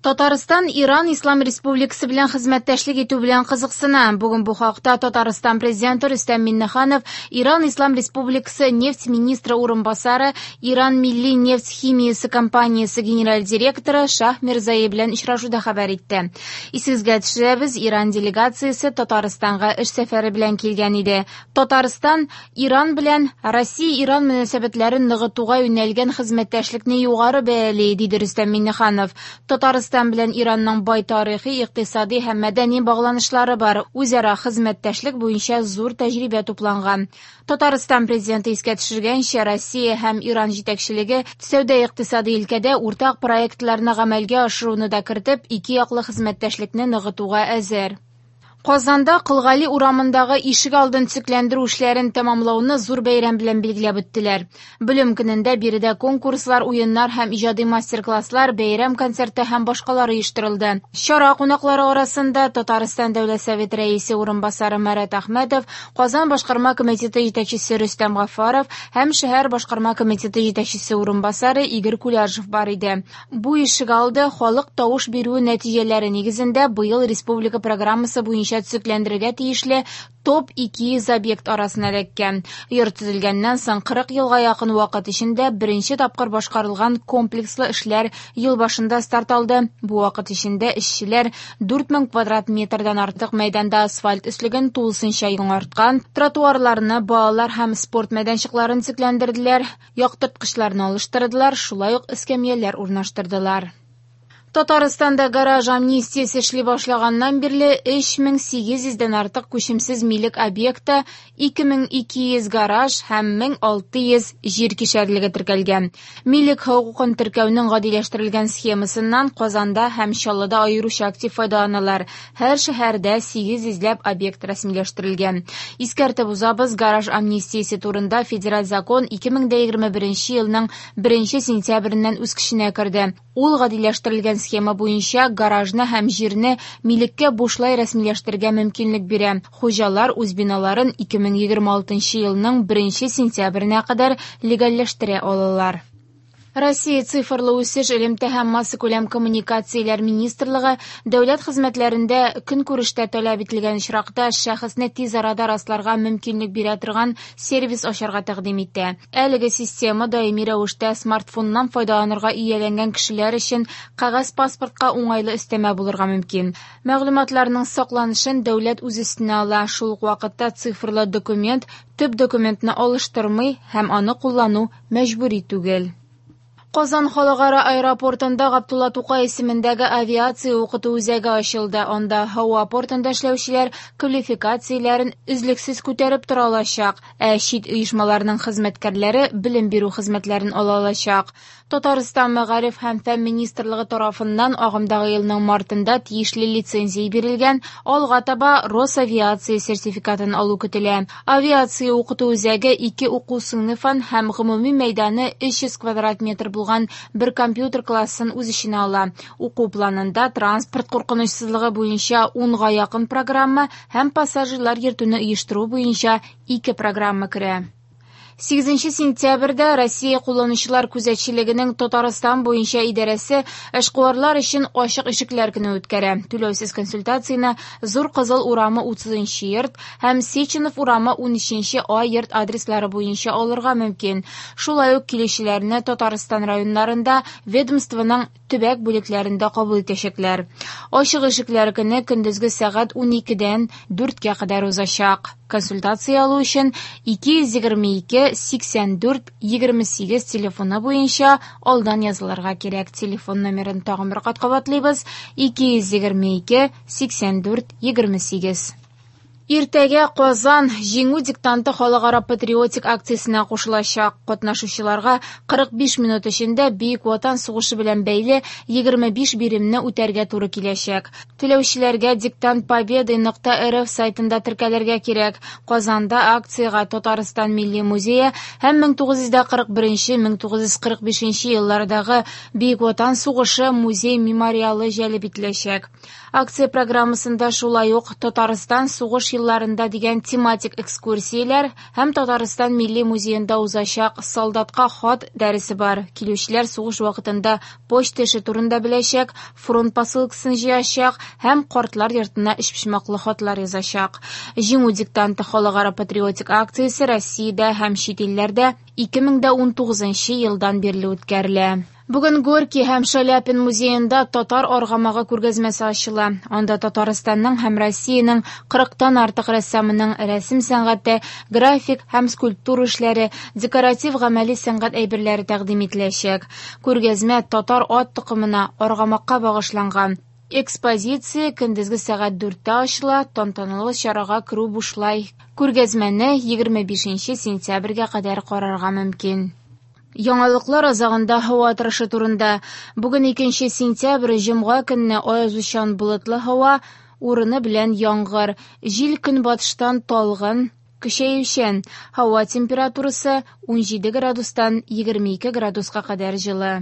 Татарстан Иран Ислам Республикасы белән хезмәттәшлек итү белән кызыксына. Бүген бу хакта Татарстан президенты Рөстәм Миңнеханов Иран Ислам Республикасы нефть министры урынбасары, Иран милли нефть химиясе компаниясе генераль директоры Шаһ Мирзаи белән очрашуда хәбәр итте. Исегезгә төшерәбез, Иран делегациясе Татарстанга эш сәфәре белән килгән иде. Татарстан Иран белән Россия-Иран мөнәсәбәтләрен ныгытуга юнәлгән хезмәттәшлекне югары бәяли, диде Рөстәм Миңнеханов. Татарстан белән Иранның бай тарихи, икътисади һәм мәдәни багланышлары бар. Үзара хезмәттәшлек буенча зур тәҗрибә тупланган. Татарстан президенты искә төшергәнчә, Россия һәм Иран җитәкчелеге сәүдә-икътисади өлкәдә уртак проектларны гамәлгә ашыруны да кертеп, ике яклы хезмәттәшлекне ныгытуга әзер. Казанда Кол Гали урамындагы ишек алдын төзекләндерү эшләрен тәмамлауны зур бәйрәм белән билгеләп үттеләр. Белем көнендә биредә конкурслар, уеннар һәм иҗади мастер-класслар, бәйрәм концерты һәм башкалар оештырылды. Чара кунаклары арасында Татарстан Дәүләт Советы рәисе урынбасары Марат Әхмәтов, Казан башкарма комитеты җитәкчесе Рөстәм Гафаров һәм шәһәр башкарма комитеты җитәкчесе урынбасары Игорь Куляжев бар иде. Бу ишек алды халык тавыш бирүе нәтиҗәләре нигезендә быел республика программасы буенча төзекләндерергә тиешле топ 200 объект арасына эләккән. Йорт төзелгәннән соң 40 елга якын вакыт эчендә беренче тапкыр башкарылган комплекслы эшләр ел башында старт алды. Бу вакыт эчендә эшчеләр 4000 квадрат метрдан артык мәйданда асфальт өслеген тулысынча яңарткан, тротуарларны, балалар һәм спорт мәйданчыкларын төзекләндерделәр, яктырткычларны алыштырдылар, шулай ук эскәмияләр урнаштырдылар. Татарстанда гараж амнистиясе эшли башлаганнан бирле 3800 дән артык күчемсез милек объекты, 2200 гараж һәм 1600 җир кишәрлеге теркәлгән. Милек хокукын теркәүнең гадиләштерелгән схемасыннан Казанда һәм Чаллыда аеруча актив файдаланалар. Һәр шәһәрдә 800 ләп объект рәсмиләштерелгән. Искәртеп узабыз, гараж амнистиясе турында федераль закон 2021 елның 1 сентябреннән үз көченә керде. Ул гадиләштерелгән схема буенча гаражны һәм җирне милеккә бушлай рәсмиләштерергә мөмкинлек бирә. Хуҗалар үз биналарын 2026 елның 1 сентябренә кадәр легальләштерә алалар. Россия цифрлы үсеш, элемтә һәм массакүләм коммуникацияләр министрлыгы дәүләт хезмәтләрендә көнкүрештә таләп ителгән очракта шәхесне тиз арада расларга мөмкинлек бирә торган сервис ачарга тәкъдим итә. Әлеге система даими рәвештә смартфоннан файдаланырга ияләнгән кешеләр өчен кәгазь паспортка уңайлы өстәмә булырга мөмкин. Мәгълүматларның сакланышын дәүләт үз өстенә ала. Шул ук вакытта цифрлы документ төп документны алыштырмый һәм аны куллану мәҗбүри түгел. Казан халыкара аэропортында Габдулла Тукай исемендәге авиация укыту үзәге ачылды. Анда һава портында эшләүчеләр квалификацияләрен өзлексез күтәреп тора алачак, ә чит оешмаларның хезмәткәрләре белем бирү хезмәтләрен ала алачак. Татарстан Мәгариф һәм фән министрлыгы тарафыннан агымдагы елның мартында тиешле лицензия бирелгән, алга таба Росавиация сертификатын алу көтелә. Авиация укыту үзәге ике уку сыйныфын һәм гомуми мәйданы 300 квадрат метр булган бер компьютер классын үз эченә ала. Уку планында транспорт куркынычсызлыгы буенча 10га якын программа һәм пассажирлар йөртүне оештыру буенча ике программа керә. 8 сентябрьдә Россия кулланучылар күзәтчелегенең Татарстан буенча идарәсе эшкуарлар өчен ачык ишекләр көне үткәрә. Түләүсез консультацияне Зур Кызыл урамы 30 йорт һәм Сеченов урамы 13 А йорт адреслары буенча алырга мөмкин. Шулай ук килүчеләрне Татарстан районнарында ведомствоның төбәк бүлекләрендә кабул итәчәкләр. Ачык ишекләр көне көндезге сәгать 12дән 4кә кадәр узачак. Консультация алу өчен 222 84 28 телефоны буенча алдан язылырга кирәк. Телефон номерын тагын бер кат кабатлыйбыз: 222 84 28. Иртәгә Казан Җиңү диктанты халыкара патриотик акциясенә кушылачак. Катнашучыларга 45 минут эчендә Бөек Ватан сугышы белән бәйле 25 биремне үтәргә туры киләчәк. Теләүчеләргә диктантпобеды.рф сайтында теркәлергә кирәк. Казанда акциягә Татарстан Милли музее һәм 1941-1945 еллардагы Бөек Ватан сугышы музей-мемориалы җәлеп ителәчәк. Акция программасында шулай ук Татарстан сугыш Елларында дигән тематик экскурсияләр һәм Татарстан Милли музеенда узачак Солдатка хат дәресе бар. Килүчеләр сугыш вакытында почта эше турында беләчәк, фронт посылкасын җыячак һәм картлар йортына өчпочмаклы хатлар язачак. Җиңү диктанты халыкара патриотик акциясе Россиядә һәм чит илләрдә 2019 елдан бирле үткәрелә. Бүген Горький һәм Шаляпин музеенда татар аргамагы күргәзмәсе ачыла. Анда Татарстанның һәм Россиянең 40тан артык рәссамының рәсем сәнгате, график һәм скульптура эшләре, декоратив гамәли сәнгать әйберләре тәкъдим ителәчәк. Күргәзмә татар ат токымына, аргамакка багышланган. Экспозиция көндезге сәгать 4тә ачыла, тантаналы чарага керү бушлай. Күргәзмәне 25 сентябрьгә кадәр карарга мөмкин. Яңалыклар азагында һава торышы турында. Бүген 2 сентябрь, җомга көнне аязучан болытлы һава, урыны белән яңгыр. Җил көнбатыштан талгын, көчәючән. Һава температурасы 17 градустан 22 градуска кадәр җылы.